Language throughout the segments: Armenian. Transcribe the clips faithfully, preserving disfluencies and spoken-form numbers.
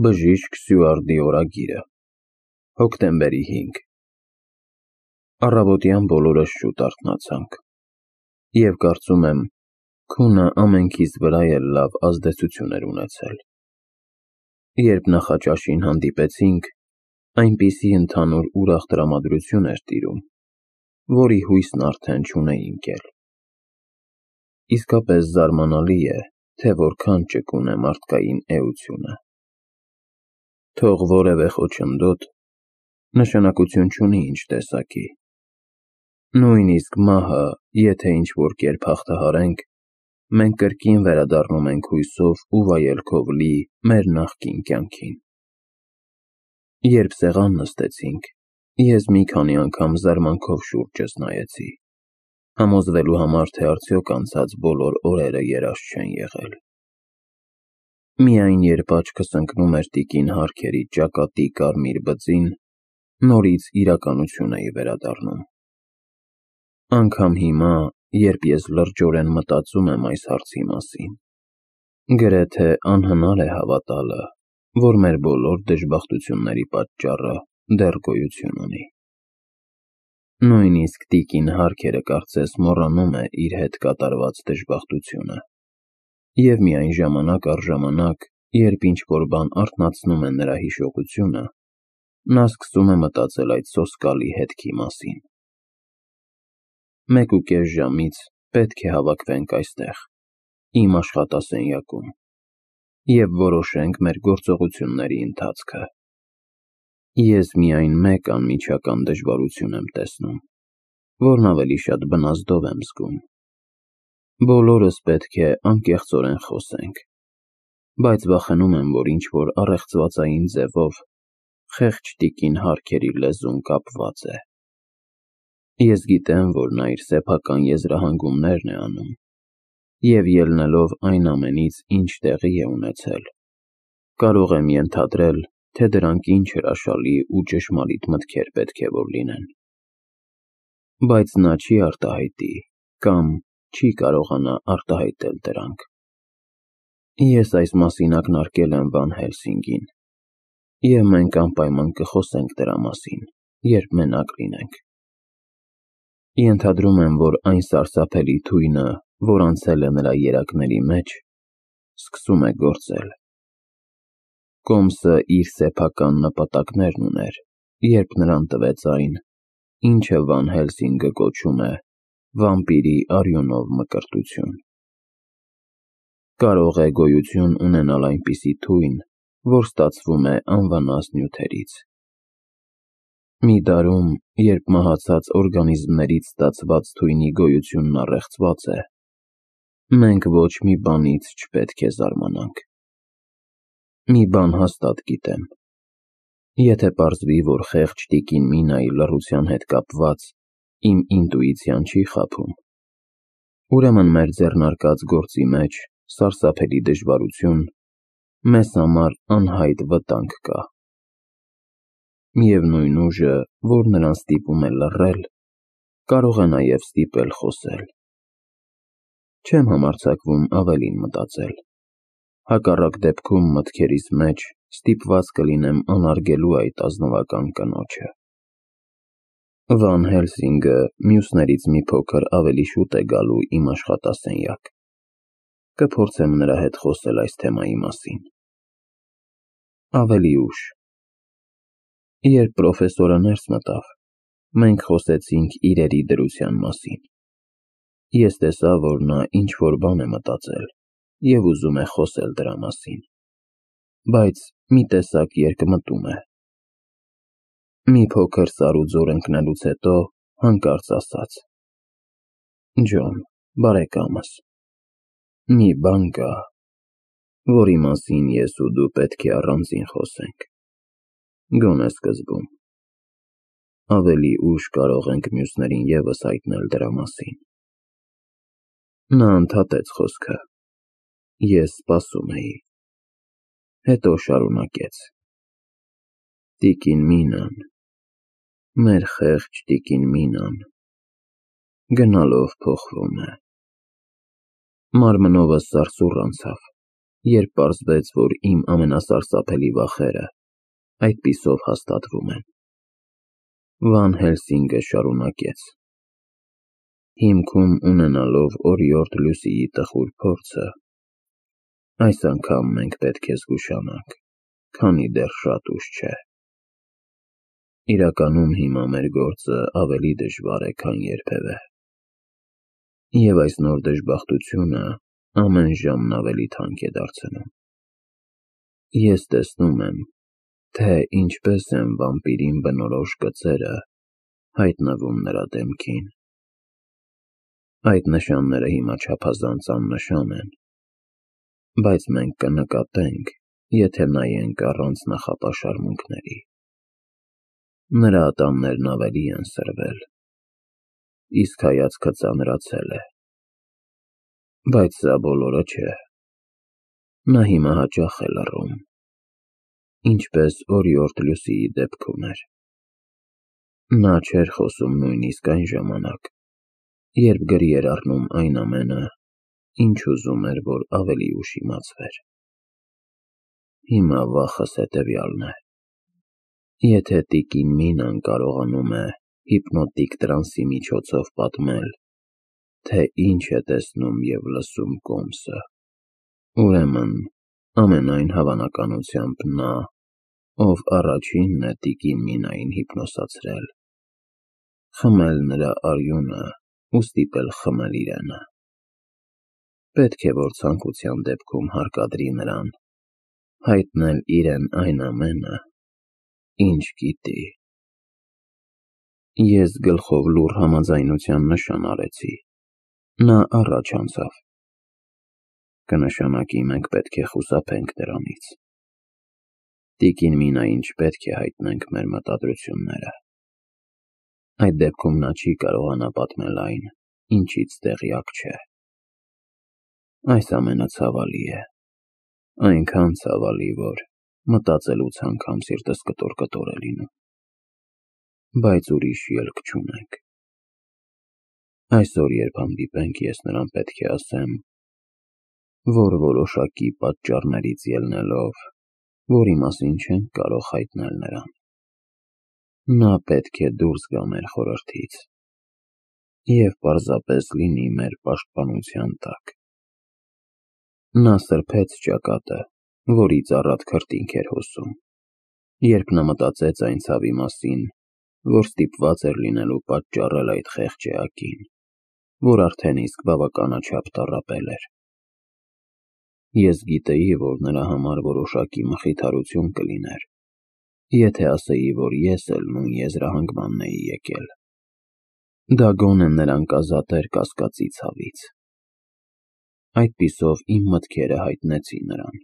Բժիշկ Սյուարդի օրագիրը, հոկտեմբերի հինգ Առավոտյան բոլորս շուտ արթնացանք, և կարծում եմ, քունը ամենքիս վրա էլ լավ ազդեցություն էր ունեցել։ Երբ նախաճաշին հանդիպեցինք, այնպիսի ընդհանուր ուրախ տրամադրություն էր տիրում, որի հույսն արդեն չունեինք էլ։ Իսկապես զարմանալի է, թե որքան ճկուն է մարդկային էությունը։ Թող որևէ խոչընդոտ նշանակություն չունի ինչ տեսակի։ Նույնիսկ մահը, եթե ինչ-որ կերպ հաղթահարենք, մենք կրկին վերադառնում ենք հույսով ու վայելքով լի մեր նախկին կյանքին։ Երբ սեղան նստեցինք, ես մի քանի անգամ զարմանքով շուրջս նայեցի, համոզվելու համար, թե արդյոք անցած բոլոր օրերը երազ չեն եղել։ Միայն երբ աչքս ընկնում էր տիկին Հարքերի ճակատի կարմիր բծին, նորից իրականություն էի վերադառնում։ Անգամ հիմա, երբ ես լրջորեն մտածում եմ այս հարցի մասին, գրեթե անհնար է հավատալը, որ մեր բոլոր դժբախտությունների պատճառը դեռ գոյություն ունի։ Նույնիսկ տիկին Հարքերը կարծես մոռանում է իր հետ կատարված դժբախտությունը, և միայն ժամանակ առ ժամանակ, երբ ինչ-որ բան արթնացնում է նրա հիշողությունը, նա սկսում է մտածել այդ սոսկալի հետքի մասին։ Մեկ ու կես ժամից պետք է հավաքվենք այստեղ, իմ աշխատասենյակում, և որոշենք մեր գործողությունների ընթացքը։ Ես միայն մեկ անմիջական դժվարություն եմ տեսնում, որն ավելի շատ բնազդով եմ զգում։ Բոլորս պետք է անկեղծորեն խոսենք, բայց վախենում եմ, որ ինչ-որ առեղծվածային ձևով խեղճ տիկին Հարքերի լեզուն կապված է։ Ես գիտեմ, որ նա իր սեփական եզրահանգումներն է անում, և ելնելով այն ամենից, ինչ տեղի է ունեցել, կարող եմ ենթադրել, թե դրանք ինչ հրաշալի ու ճշմարիտ մտքեր պետք է որ լինեն։ Բայց նա չի արտահայտի կամ չի կարողանա արտահայտել դրանք։ Ես այս մասին ակնարկել եմ Վան Հելսինգին, և մենք անպայման կխոսենք դրա մասին, երբ մենակ լինենք։ Ենթադրում եմ, որ այն սարսափելի թույնը, որ անցել է նրա երակների մեջ, սկսում է գործել։ Կոմսը իր սեփական նպատակներն ուներ, երբ նրան տվեց այն, ինչը Վան Հելսինգը կոչում է վամպիրի արյունով մկրտություն։ Կարող է գոյություն ունենալ այնպիսի թույն, որ ստացվում է անվնաս նյութերից։ Մի դարում, երբ մահացած օրգանիզմներից ստացված թույնի գոյությունն առեղծված է, մենք ոչ մի բանից չպետք է զարմանանք։ Մի բան հաստատ գիտեմ. եթե պարզվի, որ խեղճ տիկին Մինայի լռության հետ կապված իմ ինտուիցիան չի խաբում, ուրեմն մեր ձեռնարկած գործի մեջ սարսափելի դժվարություն, մեզ համար անհայտ վտանգ կա։ Միևնույն ուժը, որ նրան ստիպում է լռել, կարող է նաև ստիպել խոսել։ Չեմ համարձակվում ավելին մտածել, հակառակ դեպքում մտքերիս մեջ ստիպված կլինեմ անարգելու այդ ազնվական կնոջը։ Վան Հելսինգը մյուսներից մի փոքր ավելի շուտ է գալու իմ աշխատասենյակ։ Կփորձեմ նրա հետ խոսել այս թեմայի մասին։ Ավելի ուշ։ Երբ պրոֆեսորը ներս մտավ, մենք խոսեցինք իրերի դրության մասին։ Ես տեսա, որ նա ինչ-որ բան է մտածել և ուզում է խոսել դրա մասին, բայց մի տեսակ երկմտում է։ Մի փոքր սառուձոր ընկնելուց հետո հանկարծ ասաց. «Ջոն, բարեկամս, մի բան կա, որի մասին ես ու դու պետք է առանձին խոսենք, գոնե սկզբում։ Ավելի ուշ կարող ենք մյուսներին ևս հայտնել դրա մասին»։ Նա ընդհատեց խոսքը։ Ես սպասում էի։ Հետո շարունակեց. «Տիկին Մինան, մեր խեղճ տիկին Մինան, գնալով փոխվում է։ Մարմնովս սարսուռ անցավ, երբ պարզվեց, որ իմ ամենասարսափելի վախերը այդպիսով հաստատվում են։ Վան Հելսինգը շարունակեց. Հիմքում ունենալով օրիորդ Լուսիի տխուր փորձը, այս անգամ մենք պետք է զգուշանանք, քանի դեռ շատ ուշ չէ։ Իրականում հիմա մեր գործը ավելի դժվար է, քան երբևէ։ Եվ այս նոր դժբախտությունը ամեն ժամն ավելի թանկ է դարձնում։ Ես տեսնում եմ, թե ինչպես են վամպիրին բնորոշ գծերը հայտնվում նրա դեմքին։ Այդ նշանները հիմա չափազանց աննշան են, բայց մենք կնկատենք, եթե նայենք առանց նախապաշարմունքների։ Նրա ատամներն ավելի են սրվել, իսկ հայացքը ծանրացել է։ Բայց սա բոլորը չէ։ Նա հիմա հաճախ է լռում, ինչպես օրիորդ Լուսիի դեպքում էր։ Նա չէր խոսում նույնիսկ այն ժամանակ, երբ գրի էր առնում այն ամենը, ինչ ուզում էր, որ ավելի ուշ իմացվեր։ Հիմա վախս հետևյալն է. եթե տիկին Մինան կարողանում է հիպնոտիկ տրանսի միջոցով պատմել, թե ինչ է տեսնում և լսում Կոմսը, ուրեմն ամենայն հավանականությամբ նա, ով առաջինն է տիկին Մինային հիպնոսացրել, խմել նրա արյունը ու ստիպել խմել իրենը, պետք է որ ցանկության դեպքում հարկադրի նրան հայտնել իրեն այն ամենը, ինչ գիտի։ Ես գլխով լուռ համաձայնության նշան արեցի։ Նա առաջ անցավ. Կնշանակի մենք պետք է խուսափենք դրանից։ Տիկին Մինային չպետք է հայտնենք մեր մտադրությունները։ Այդ դեպքում նա չի կարողանա պատմել այն, ինչից տեղյակ չէ։ Այս ամենը ցավալի է, այնքան ցավալի, որ մտածելուց անգամ սիրտս կտոր-կտոր է լինում։ Բայց ուրիշ ելք չունենք։ Այսօր, երբ հանդիպենք, ես նրան պետք է ասեմ, որ որոշակի պատճառներից ելնելով, որի մասին չենք կարող հայտնել նրան, նա պետք է դուրս գա մեր խորհրդից և պարզապես լինի մեր պաշտպանության տակ։ Նա սրբեց ճակատը, որից առատ քրտինք էր հոսում, երբ նա մտածեց այն ցավի մասին, որ ստիպված էր լինելու պատճառել այդ խեղճ էակին, որ արդեն իսկ բավականաչափ տառապել էր։ Ես գիտեի, որ նրա համար որոշակի մխիթարություն կլիներ, եթե ասեի, որ ես էլ նույն եզրահանգմանն էի եկել։ Դա գոնե նրան կազատեր կասկածի ցավից։ Այդպիսով իմ մտքերը հայտնեցի նրան,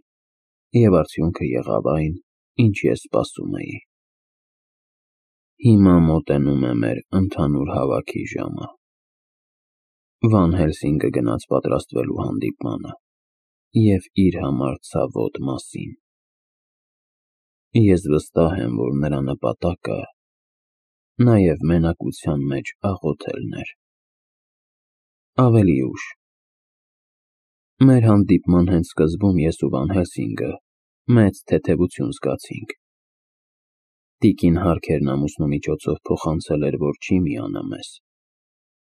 և արդյունքը եղավ այն, ինչ ես սպասում էի։ Հիմա մոտենում է մեր ընդհանուր հավաքի ժամը։ Վան Հելսինգը գնաց պատրաստվելու հանդիպմանը և իր համար ցավոտ մասին։ Ես վստահ եմ, որ նրա նպատակը նաև մենակության մեջ աղոթելն էր։ Ավելի ուշ։ Մեր հանդիպման հենց սկզբում ես ու Վան Հելսինգը մեծ թեթևություն զգացինք։ Տիկին Հարքերն ամուսնու միջոցով փոխանցել էր, որ չի միանա մեզ,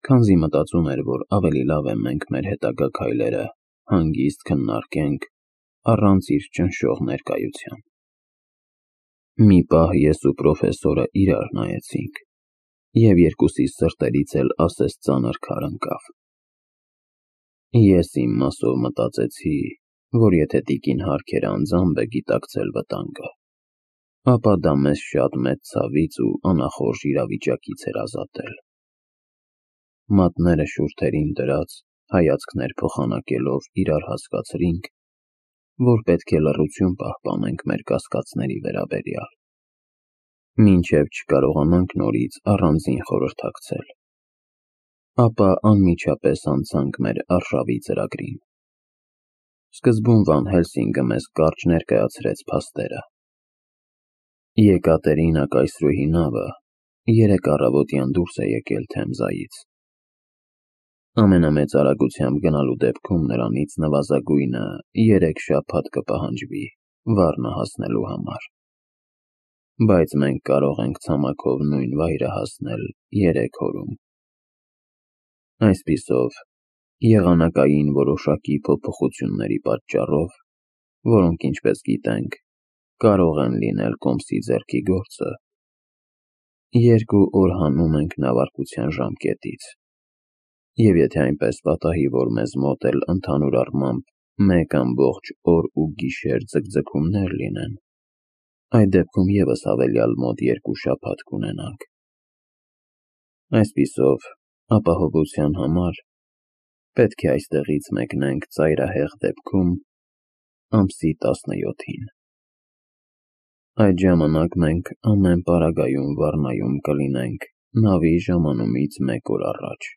քանզի մտածում էր, որ ավելի լավ է մենք մեր հետագա քայլերը հանգիստ քննարկենք առանց իր ճնշող ներկայության։ Մի պահ ես ու պրոֆեսորը իրար նայեցինք, և երկուսիս սրտերից էլ ասես ծանր քար ընկավ։ Ես իմ մասով մտածեցի, որ եթե տիկին Հարքերը անձամբ է գիտակցել վտանգը, ապա դա մեզ շատ մեծ ցավից ու անախորժ իրավիճակից էր ազատել։ Մատները շուրթերին դրած, հայացքներ փոխանակելով իրար հասկացրինք, որ պետք է լռություն պահպանենք մեր կասկածների վերաբերյալ, մինչև չկարողանանք նորից առանձին խորհրդակցել։ Ապա անմիջապես անցանք մեր արշավի ծրագրին։ Սկզբում Վան Հելսինգը մեզ կարճ ներկայացրեց փաստերը։ Եկատերինա կայսրուհի նավը երեկ առավոտյան դուրս է եկել Թեմզայից։ Ամենամեծ արագությամբ գնալու դեպքում նրանից նվազագույնը երեք շաբաթ կպահանջվի վառնը հասնելու համար։ Բայց մենք կարող ենք ցամաքով նույն վայրը հասնել երեք օրում։ Այսպիսով, եղանակային որոշակի փոփոխությունների պատճառով, որոնք, ինչպես գիտենք, կարող են լինել կոմսի ձեռքի գործը, երկու օր հանում ենք նավարկության ժամկետից, և եթե այնպես պատահի, որ մեզ մոտ էլ ընդհանուր առմամբ մեկ ամբողջ օր ու գիշեր ձգձգումներ լինեն, այդ դեպքում ևս հավելյալ մոտ երկու շաբաթ կունենանք։ Այսպիսով, ապահովության համար պետք է այստեղից մեկնենք ծայրահեղ դեպքում ամսի տասնյոթին։ Այդ ժամանակ մենք ամեն պարագայում Վառնայում կլինենք նավի ժամանումից մեկ օր առաջ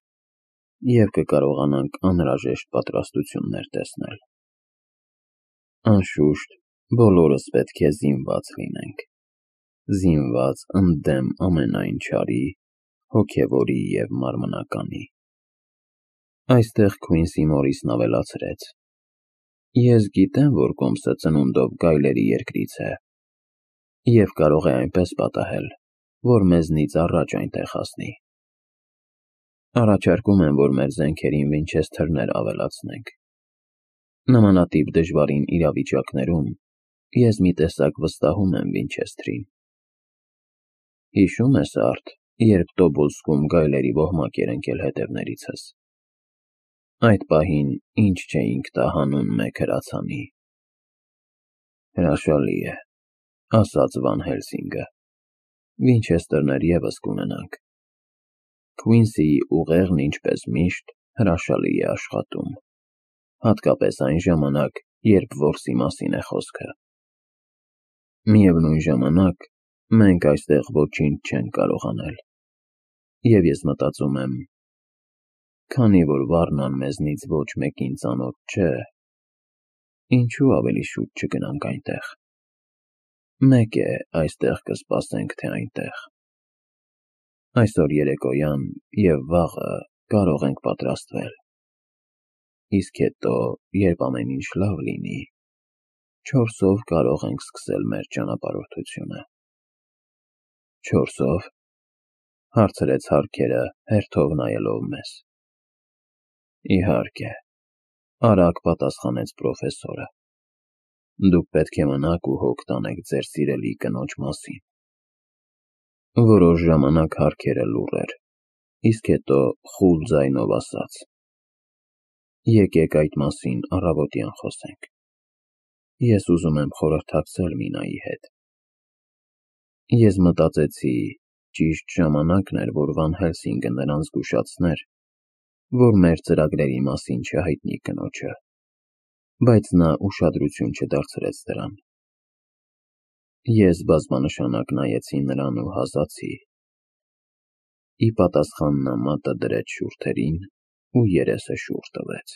և կկարողանանք անհրաժեշտ պատրաստություններ տեսնել։ Անշուշտ, բոլորս պետք է զինված լինենք, զինված ընդդեմ ամենայն չարի, հոգևորի և մարմնականի։ Այստեղ Քվինսի Մորիսն ավելացրեց. Ես գիտեմ, որ կոմսը ծնունդով գայլերի երկրից է, և կարող է այնպես պատահել, որ մեզնից առաջ այնտեղ հասնի։ Առաջարկում եմ, որ մեր զենքերին վինչեսթերներ ավելացնենք։ Նմանատիպ դժվարին իրավիճակներում ես մի տեսակ վստահում եմ Վինչեսթրին։ Հիշո՞ւմ ես, Արդ, երբ Տոբոլսկում գայլերի ոհմակ էր ընկել հետևներիցս։ Այդ պահին ինչ չէինք տա հանուն մեկ հրացանի։ Հրաշալի է, ասաց Վան Հելսինգը, վինչեսթերներ ևս կունենանք։ Քվինսիի ուղեղն ինչպես միշտ հրաշալի է աշխատում, հատկապես այն ժամանակ, երբ որսի մասին է խոսքը։ Միևնույն ժամանակ, մենք այստեղ ոչինչ չենք կարող անել, և ես մտածում եմ, քանի որ Վառնան մեզնից ոչ մեկին ծանոթ չէ, ինչու ավելի շուտ չգնանք այնտեղ։ Մեկ է, այստեղ կսպասենք, թե այնտեղ։ Այսօր երեկոյան և վաղը կարող ենք պատրաստվել, իսկ հետո, երբ ամեն ինչ լավ լինի, չորսով կարող ենք սկսել մեր ճանապարհորդությունը։ Չորսո՞վ, հարցրեց Հարքերը, հերթով նայելով մեզ։ Իհարկե, արագ պատասխանեց պրոֆեսորը։ Դուք պետք է մնաք ու հոգ տանեք ձեր սիրելի կնոջ մասին։ Որոշ ժամանակ Հարքերը լուռ էր, իսկ հետո խուլ ձայնով ասաց. Եկեք այդ մասին առավոտյան խոսենք։ Ես ուզում եմ խորհրդակցել Մինայի հետ։ Ես մտածեցի, ճիշտ ժամանակն էր, որ Վան Հելսինգը նրան զգուշացներ, որ մեր ծրագրերի մասին չհայտնի կնոջը, բայց նա ուշադրություն չդարձրեց դրան։ Ես բազմանշանակ նայեցի նրան ու հազացի։ Ի պատասխան նա մատը դրեց շուրթերին ու երեսը շուռ տվեց։